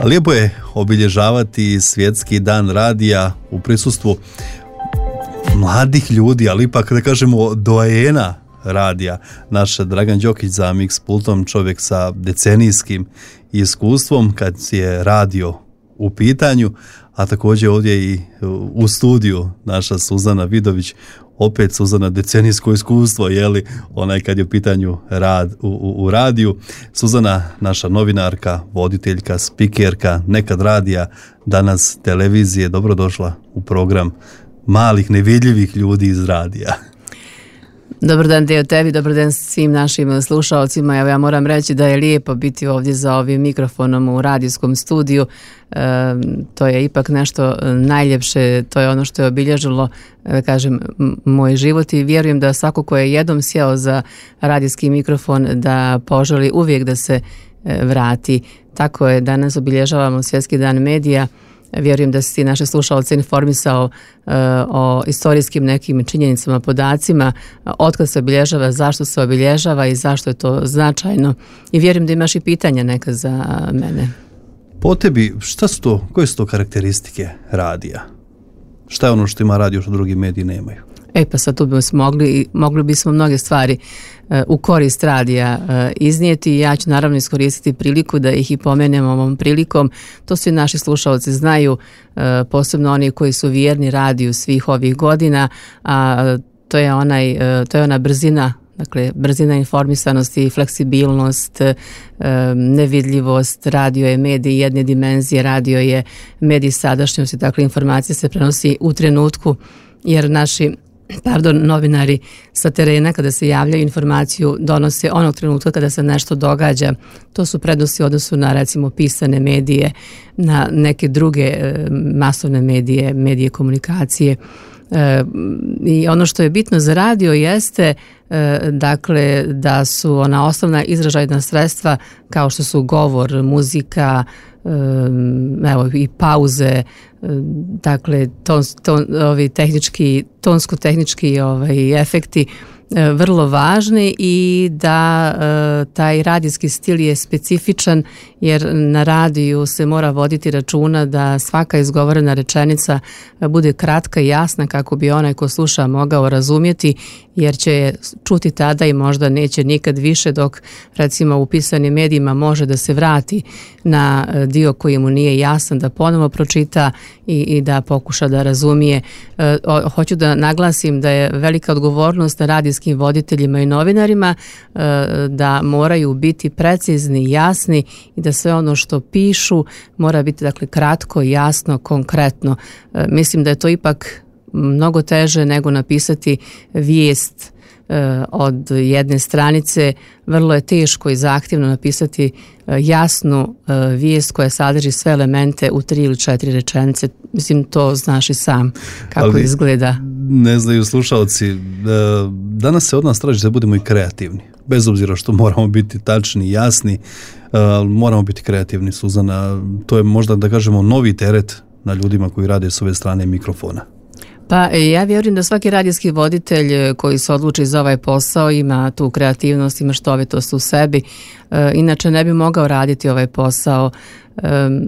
Lijepo je obilježavati svjetski dan radija u prisustvu mladih ljudi, ali ipak da kažemo doajena radija. Naš Dragan Đokić za Mix pultom, čovjek sa decenijskim iskustvom kad je radio u pitanju, a također ovdje i u studiju naša Suzana Vidović, opet Suzana decenijsko iskustvo, jeli, onaj kad je u pitanju rad u radiju. Suzana, naša novinarka, voditeljka, spikerka, nekad radija, danas televizije, dobrodošla u program malih nevidljivih ljudi iz radija. Dobar dan Deo tebi, dobar dan svim našim slušalcima. Evo, ja moram reći da je lijepo biti ovdje za ovim mikrofonom u radijskom studiju. To je ipak nešto najljepše, to je ono što je obilježilo, kažem, moj život i vjerujem da svako ko je jednom sjeo za radijski mikrofon da poželi uvijek da se vrati. Tako je, danas obilježavamo Svjetski dan medija. Vjerujem da si naše slušalce informisao o istorijskim nekim činjenicama, podacima, otkad se obilježava, zašto se obilježava i zašto je to značajno. I vjerujem da imaš i pitanja neka za mene. Po tebi, šta su to, koje su to karakteristike radija? Šta je ono što ima radio što drugi mediji nemaju? Pa sad tu mogli bismo mnoge stvari u korist radija iznijeti i ja ću naravno iskoristiti priliku da ih i pomenem ovom prilikom. To svi naši slušalci znaju, posebno oni koji su vjerni radiju svih ovih godina, a to je ona brzina, dakle brzina informisanosti, fleksibilnost, nevidljivost. Radio je medij jedne dimenzije, radio je medij sadašnjosti, dakle informacija se prenosi u trenutku jer naši novinari sa terena kada se javljaju informaciju donose onog trenutka kada se nešto događa. To su prednosti u odnosu na recimo pisane medije, na neke druge masovne medije komunikacije. I ono što je bitno za radio jeste dakle da su ona osnovna izražajna sredstva kao što su govor, muzika, evo i pauze, dakle tonsko-tehnički efekti vrlo važni i da taj radijski stil je specifičan jer na radiju se mora voditi računa da svaka izgovorena rečenica bude kratka i jasna kako bi onaj ko sluša mogao razumjeti jer će je čuti tada i možda neće nikad više dok recimo u pisanim medijima može da se vrati na dio koji mu nije jasan da ponovo pročita i da pokuša da razumije. Hoću da naglasim da je velika odgovornost na radijskim voditeljima i novinarima da moraju biti precizni, jasni i da sve ono što pišu mora biti dakle kratko, jasno, konkretno. Mislim da je to ipak mnogo teže nego napisati vijest od jedne stranice. Vrlo je teško i zahtjevno napisati jasnu vijest koja sadrži sve elemente u 3 ili 4 rečenice. Mislim, to znaš i sam kako ali izgleda. Ne znaju slušalci, danas se od nas traži da budemo i kreativni. Bez obzira što moramo biti tačni i jasni, moramo biti kreativni, Suzana. To je možda, da kažemo, novi teret na ljudima koji rade s ove strane mikrofona. Pa ja vjerujem da svaki radijski voditelj koji se odluči za ovaj posao ima tu kreativnost, ima štovitost u sebi, inače ne bi mogao raditi ovaj posao.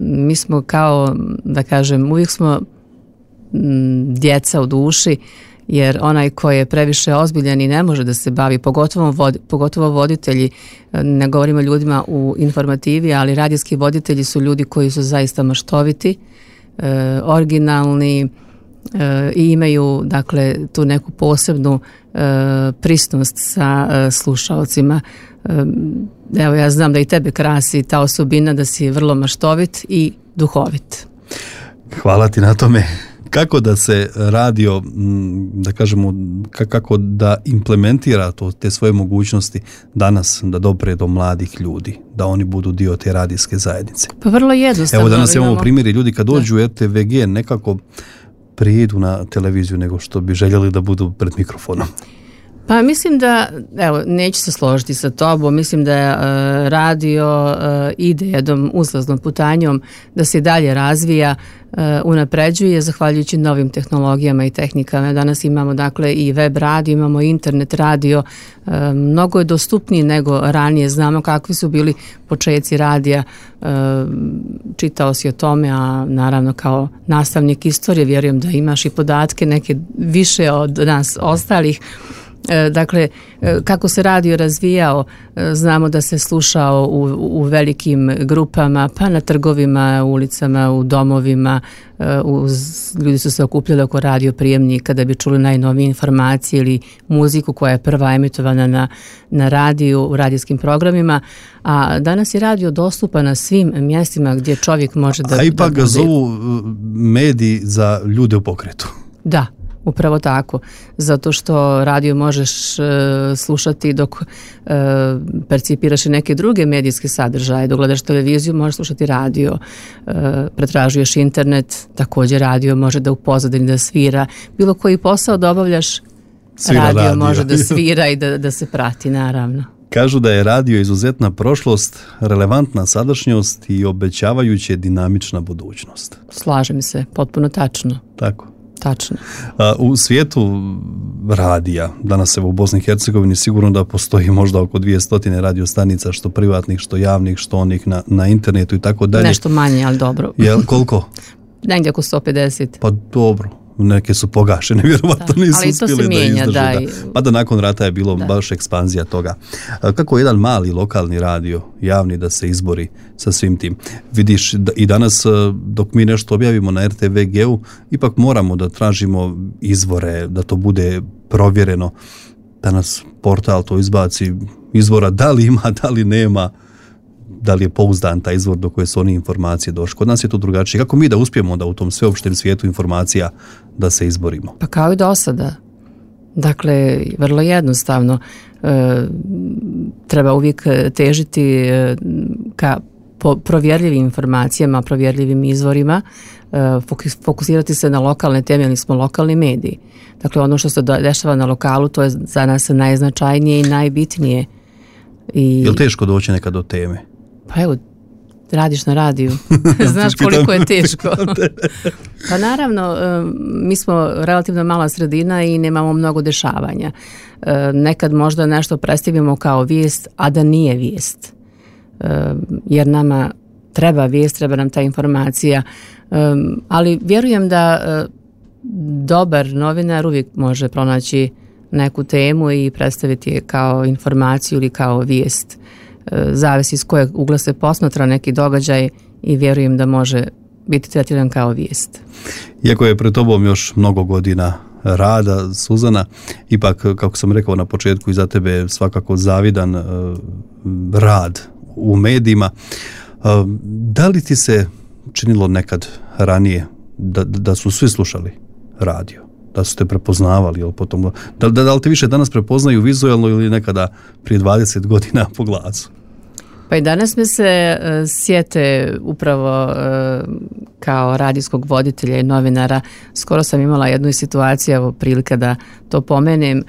Mi smo kao, da kažem, uvijek smo djeca u duši, jer onaj koji je previše ozbiljan i ne može da se bavi, pogotovo voditelji, ne govorimo ljudima u informativi, ali radijski voditelji su ljudi koji su zaista maštoviti, originalni, i imaju dakle tu neku posebnu prisnost sa slušalcima. Evo, ja znam da i tebe krasi ta osobina da si vrlo maštovit i duhovit. Hvala ti na tome. Kako da se radio, da kažemo, kako da implementira te svoje mogućnosti danas da dopre do mladih ljudi, da oni budu dio te radijske zajednice? Pa vrlo jednostavno. Evo, danas imamo primjeri ljudi kad dođu u RTVG nekako prijedu na televiziju nego što bi željeli da budu pred mikrofonom. Pa mislim da, evo, neću se složiti sa tobom, mislim da radio ide jednom uzlaznom putanjom, da se dalje razvija, unapređuje zahvaljujući novim tehnologijama i tehnikama. Danas imamo dakle i web radio, imamo internet radio, mnogo je dostupniji nego ranije, znamo kakvi su bili počeci radija, čitao si o tome, a naravno kao nastavnik istorije vjerujem da imaš i podatke neke više od nas ostalih. Dakle, kako se radio razvijao, znamo da se slušao u velikim grupama, pa na trgovima, ulicama, u domovima, ljudi su se okupljali oko radio prijemnika da bi čuli najnovije informacije ili muziku koja je prva emitovana na radiju, u radijskim programima, a danas je radio dostupan na svim mjestima gdje čovjek može da... A ipak ga zovu mediji za ljude u pokretu. Da. Upravo tako, zato što radio možeš slušati dok percipiraš i neke druge medijske sadržaje, dok gledaš televiziju možeš slušati radio, pretražuješ internet, također radio može da u pozadini da svira, bilo koji posao da obavljaš, radio može da svira i da se prati, naravno. Kažu da je radio izuzetna prošlost, relevantna sadašnjost i obećavajuće dinamična budućnost. Slažem se, potpuno tačno. Tako. Tačno. U svijetu radija, danas evo u Bosni i Hercegovini sigurno da postoji možda oko 200 radio stanica, što privatnih, što javnih, što onih na internetu i tako dalje. Nešto manje, ali dobro. Jel, koliko? Negdje oko 150. Pa dobro. Neke su pogašene, vjerovatno nisu uspjeli da izdrže. Pa da nakon rata je bilo baš ekspanzija toga. Kako jedan mali lokalni radio, javni, da se izbori sa svim tim? Vidiš, i danas dok mi nešto objavimo na RTVG-u, ipak moramo da tražimo izvore, da to bude provjereno. Danas portal to izbaci izvora, da li ima, da li nema, da li je pouzdan taj izvor do koje su oni informacije došli. Kod nas je to drugačije. Kako mi da uspijemo da u tom sveopštem svijetu informacija da se izborimo? Pa kao i do sada. Dakle, vrlo jednostavno. Treba uvijek težiti ka provjerljivim informacijama, provjerljivim izvorima, fokusirati se na lokalne teme, jer smo lokalni mediji. Dakle, ono što se dešava na lokalu, to je za nas najznačajnije i najbitnije. Je li teško doći nekad do teme? Pa evo, radiš na radiju. Znaš koliko je teško. Pa naravno, mi smo relativno mala sredina i nemamo mnogo dešavanja. Nekad možda nešto predstavimo kao vijest, a da nije vijest. Jer nama treba vijest, treba nam ta informacija. Ali vjerujem da dobar novinar uvijek može pronaći neku temu i predstaviti je kao informaciju ili kao vijest. Zavisi iz kojeg ugla se posmatra neki događaj i vjerujem da može biti tretiran kao vijest. Iako je pred tobom još mnogo godina rada, Suzana, ipak, kako sam rekao na početku, i za tebe je svakako zavidan rad u medijima. Da li ti se činilo nekad ranije da su svi slušali radio? Da su te prepoznavali, ili potom, da li te više danas prepoznaju vizualno ili nekada prije 20 godina po glasu? Pa i danas me se sjete upravo kao radijskog voditelja i novinara. Skoro sam imala jednu situaciju, evo prilika da to pomenem.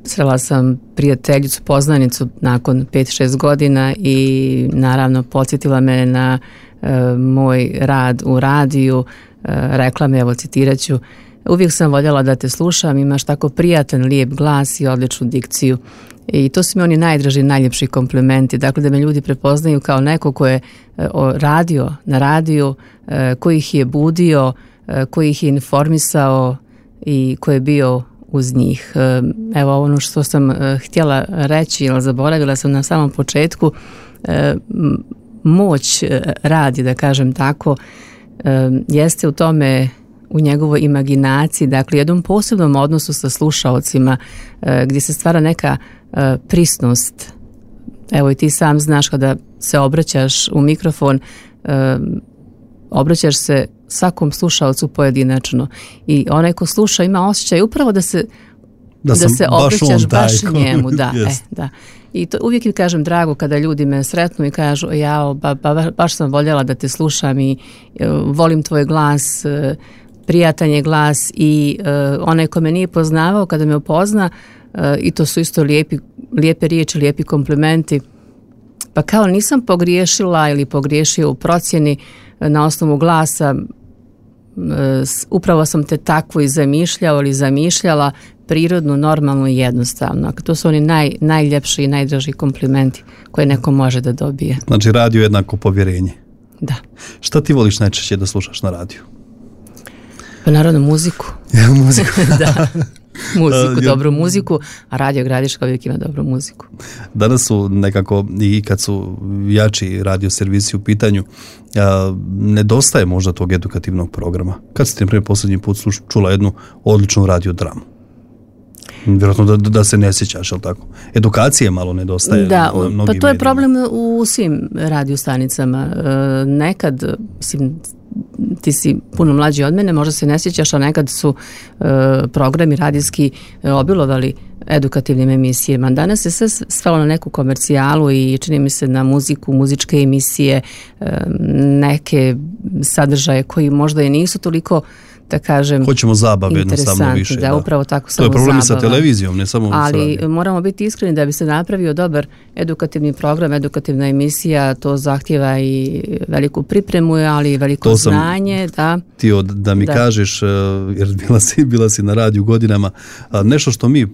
Srela sam prijateljicu, poznanicu nakon 5-6 godina i naravno podsjetila me na moj rad u radiju. Rekla me, evo citirat ću: uvijek sam voljela da te slušam, imaš tako prijatan, lijep glas i odličnu dikciju. I to su mi oni najdraži, najljepši komplimenti. Dakle, da me ljudi prepoznaju kao neko ko je radio na radiju, koji ih je budio, koji ih je informisao i ko je bio uz njih. Evo ono što sam htjela reći, ali zaboravila sam na samom početku, moć radi, da kažem tako, jeste u tome, u njegovoj imaginaciji, dakle jednom posebnom odnosu sa slušaocima, gdje se stvara neka prisnost. Evo i ti sam znaš, kada se obraćaš u mikrofon, obraćaš se svakom slušaocu pojedinačno i onaj ko sluša ima osjećaj upravo da se obraćaš baš njemu. Da. I to uvijek mi kažem drago kada ljudi me sretnu i kažu: baš sam voljela da te slušam i volim tvoj glas. prijatan je glas i onaj ko me nije poznavao kada me upozna, i to su isto lijepe riječi, lijepi komplimenti. Pa kao nisam pogriješila ili pogriješio u procjeni na osnovu glasa, upravo sam te takvu i zamišljao ili zamišljala, prirodnu, normalnu i jednostavno. To su oni najljepši i najdraži komplimenti koje neko može da dobije. Znači radio je jednako povjerenje. Da. Šta ti voliš najčešće da slušaš na radiju? Pa naravno muziku. Muziku. Da. Muziku, dobru muziku, a Radio Gradiška uvijek ima dobru muziku. Danas su nekako, i kad su jači radio servisi u pitanju, nedostaje možda tog edukativnog programa. Kad ste, na primjer, posljednji put čula jednu odličnu radiodramu? Vjerojatno da se ne sjećaš, ali tako? Edukacije malo nedostaje. Da, pa to je problem u svim radiostanicama. Nekad, mislim, ti si puno mlađi od mene, možda se ne sjećaš, a nekad su programi radijski obilovali edukativnim emisijama. Danas je sve svelo na neku komercijalu i čini mi se na muziku, muzičke emisije, neke sadržaje koji možda i nisu toliko, da kažem, hoćemo zabave jednostavno više. Da, upravo tako, samo zabava. To je problem zabava. Sa televizijom, ne samo ali moramo biti iskreni da bi se napravio dobar edukativni program, edukativna emisija, to zahtjeva i veliku pripremu, ali i veliko znanje. Da. Ti da mi kažeš, jer bila si na radiju godinama, nešto što mi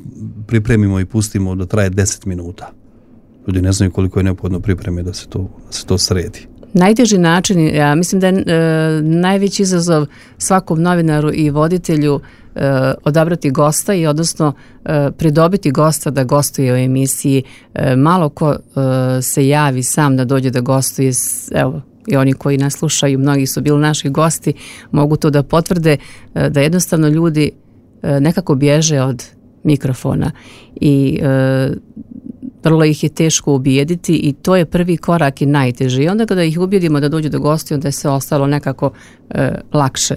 pripremimo i pustimo da traje 10 minuta. Ljudi ne znaju koliko je neophodno pripreme da se to sredi. Najteži način, ja mislim da je najveći izazov svakom novinaru i voditelju odabrati gosta i odnosno pridobiti gosta da gostuje u emisiji. Malo ko se javi sam da dođe da gostuje, evo, i oni koji nas slušaju, mnogi su bili naši gosti, mogu to da potvrde, da jednostavno ljudi nekako bježe od mikrofona i vrlo ih je teško ubijediti i to je prvi korak i najteži. I onda kada ih ubijedimo da dođu do gosti, onda je sve ostalo nekako lakše.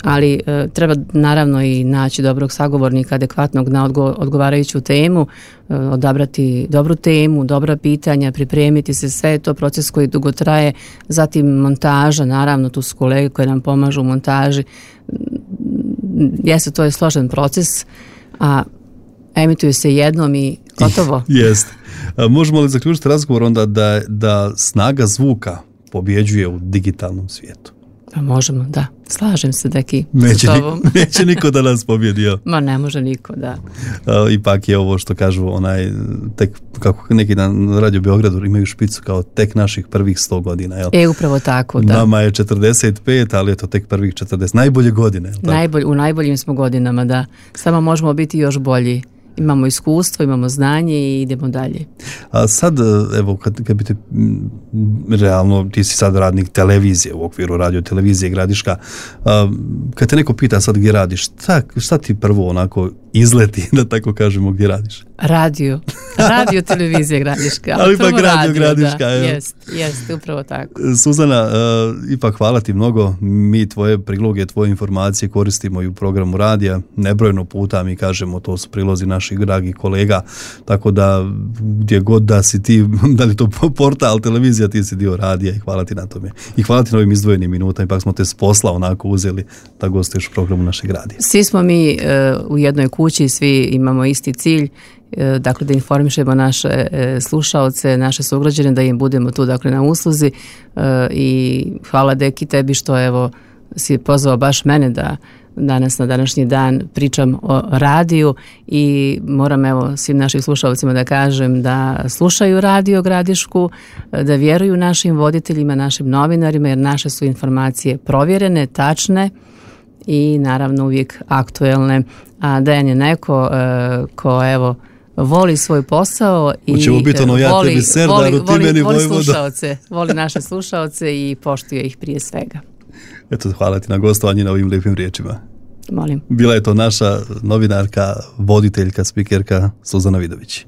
Ali treba naravno i naći dobrog sagovornika, adekvatnog na odgovarajuću temu, odabrati dobru temu, dobra pitanja, pripremiti se, sve je to proces koji dugo traje. Zatim montaža, naravno tu su kolege koje nam pomažu u montaži. Jeste, to je složen proces, a emituje se jednom i gotovo. Jeste. Možemo li zaključiti razgovor onda da snaga zvuka pobjeđuje u digitalnom svijetu? Pa možemo, da. Slažem se, Deki. Neće niko da nas pobjedio. Ma ne može niko, da. Ipak je ovo što kažu tek kako neki na Radio Beogradu imaju špicu kao tek naših prvih 100 godina. Jel? Upravo tako, da. Nama je 45, ali je to tek prvih 40. Najbolje godine. U najboljim smo godinama, da. Samo možemo biti još bolji. Imamo iskustvo, imamo znanje i idemo dalje. A sad, evo, kad bi te realno, ti si sad radnik televizije u okviru radio televizije Gradiška, kad te neko pita sad gdje radiš, šta ti prvo onako izleti, da tako kažemo, gdje radiš? Radio televizije Gradiška. Ali ipak Radio Gradiška. Jest, upravo tako. Suzana, ipak hvala ti mnogo. Mi tvoje priloge, tvoje informacije koristimo i u programu radija. Nebrojeno puta mi kažemo, to su prilozi naših dragih kolega, tako da gdje god da si ti, da li to portal, televizija, ti si dio radija i hvala ti na tome. I hvala ti na ovim izdvojenim minutama, ipak smo te s posla onako uzeli da gostuješ u programu našeg radija. Svi smo mi u jednoj kući, svi imamo isti cilj, dakle da informišemo naše slušaoce, naše sugrađane, da im budemo tu dakle na usluzi i hvala Deki tebi što evo si pozvao baš mene da danas na današnji dan pričam o radiju i moram evo svim našim slušalcima da kažem da slušaju Radio Gradišku, da vjeruju našim voditeljima, našim novinarima jer naše su informacije provjerene, tačne i naravno uvijek aktuelne. A Dejan je neko ko evo voli svoj posao i voli naše slušaoce i poštuje ih prije svega. Eto, hvala ti na gostovanju na ovim lijepim riječima. Molim. Bila je to naša novinarka, voditeljka, spikerka Suzana Vidović.